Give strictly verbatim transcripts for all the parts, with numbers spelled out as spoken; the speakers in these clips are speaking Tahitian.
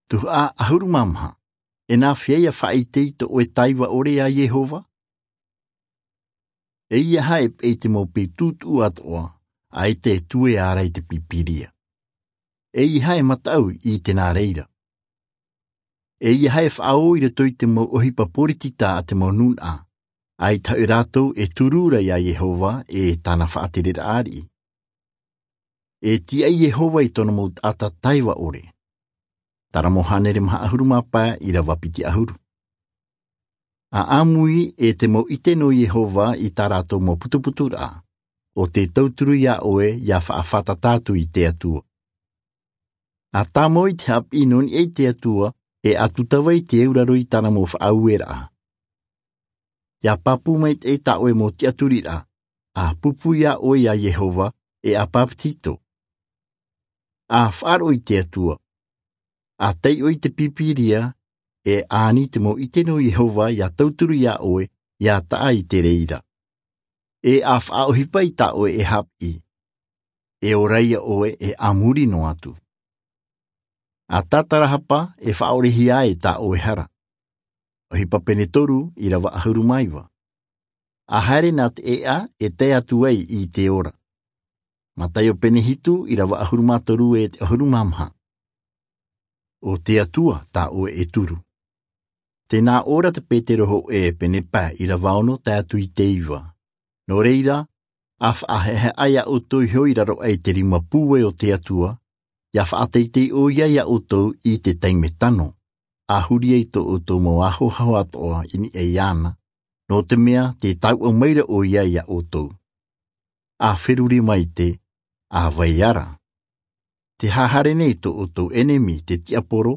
Tuhaʻa ʻahuru mā maha. E nā fea ia faʻaʻite i tō ʻoe taiva ʻore iā Iehova? E ia haʻe paʻi te mau peu tūtuʻu atoʻa, ʻaita e tuea ra i te Pīpīria. E ia haʻe mataʻu i te nā reira. E ia haʻe faʻaō i roto i te mau ʻohipa poritita a te mau nūnaʻa, ʻaita hoʻi rātou e turu ra iā Iehova e tāna faʻatereraʻa ariʻi. E tiʻa Iehova i tōna mau taʻata taiva ʻore. Taramo hānere maha ʻahuru mā pae ʻīrava piti ʻahuru. ʻA ʻāmui e te mau ʻite nō Iehova i tā rātou mau putuputuraʻa, ʻo tē tauturu iā ʻoe ia faʻafātata atu i te Atua. ʻA tāmau i te haʻapiʻi nō niʻa i te Atua, e ʻa tūtava i te auraro i tāna mau faʻaueraʻa. Ia pāpū maitaʻi tā ʻoe mau tiʻaturiraʻa, ʻa pūpū iā ʻoe iā Iehova, e ʻa pāpetito. ʻA faʻaroʻo i te Atua. ʻA taiʻo i te Pīpīria, e ani te mau ʻite nō Iehova ia tauturu iā ʻoe, ia taʻa i te reira. E ʻa faʻaʻohipa i tā ʻoe e haʻapiʻi. E ora ia ʻoe e ʻa muri noa atu. ʻA tātarahapa e faʻaorehia ai tā ʻoe hara. ʻOhipa pene toru ʻīrava ʻahuru mā iva. ʻA haere nā te ʻēʻa e tae atu ai i te ora. Mataio pene hitu ʻīrava ʻahuru mā toru e te ʻahuru mā maha. ʻO te Atua tā ʻoe e turu. Tē nā ʻō ra te Petero hōʻē pene pae ʻīrava ono tae atu i te iva. Nō reira, ʻa faʻahaʻehaʻa iā ʻoutou iho i raro aʻe i te rima pūai o te Atua, ia faʻateitei ʻoia iā ʻoutou i te taime tano, ʻa huri ai tō ʻoutou mau ahoaho atoʻa i niʻa iāna, nō te mea tē tauʻa maira ʻoia iā ʻoutou. ʻA feruri maite, ʻa vai ara. Tē hahare nei tō ʻoutou ʻenemi te tiaporo,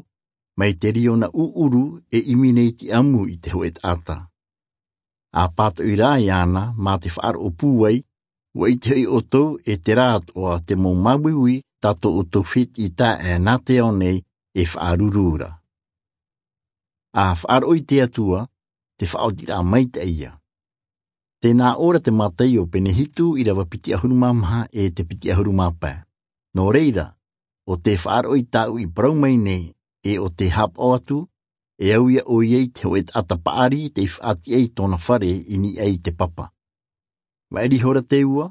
mai te riona ʻuʻuru e ʻimi nei te ʻamu i te hōʻē taʻata. ʻA pātoʻi rā iāna mā te faʻaroʻo pūai, ʻua ʻite hoʻi ʻoutou e terā atoʻa te mau māuiui tā tō ʻoutou fētiʻi taeaʻe nā te ao nei e faʻaruru ra. ʻA faʻaroʻo i te Atua, te faʻaotiraʻa maitaʻi ia. Tē nā ʻō ra te Mataio pene hitu ʻīrava piti ʻahuru mā maha e te piti ʻahuru mā pae. Nō reira, ʻo tē faʻaroʻo i tāʻu i parau mai nei, e ʻo tē haʻapaʻo atu, e au ia ʻoia i te hōʻē taʻata paʻari tei faʻatiʻa i tōna fare i niʻa i te papa. Maʻiri ihora te ua,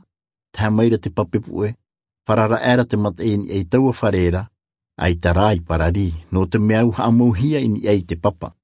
tae mai ra te pape puʻe, farara aʻera te mataʻi i niʻa i taua fare ra, ʻaita rā i parari, nō te mea ʻua haʻamauhia i niʻa i te papa.